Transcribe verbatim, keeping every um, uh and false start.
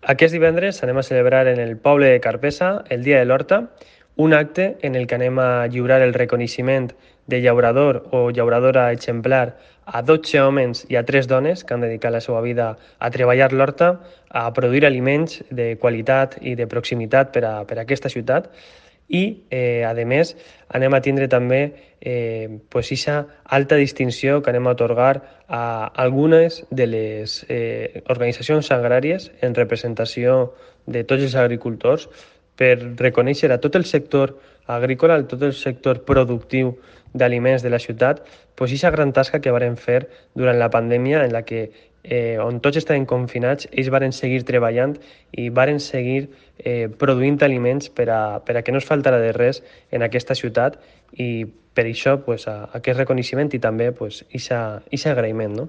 Aquest divendres anem a celebrar en el poble de Carpesa el Dia de l'Horta, un acte en el que anem a lliurar el reconeixement de llaurador o llauradora exemplar a dotze homes i a tres dones que han dedicat la seva vida a treballar l'horta, a produir aliments de qualitat i de proximitat per a, per a aquesta ciutat. I, eh, a més, anem a tindre també eh, pues, esa alta distinció que anem a otorgar a algunes de les eh, organitzacions agràries en representació de tots els agricultors per reconèixer a tot el sector agrícola, a tot el sector productiu d'aliments de la ciutat, pues, aquesta gran tasca que varen fer durant la pandèmia en la que eh, on tots estaven confinats, ells varen seguir treballant i varen seguir eh, produint aliments per a, per a que no es faltara de res en aquesta ciutat i per això pues, a, aquest reconeixement i també pues, ixa, ixa agraïment. No?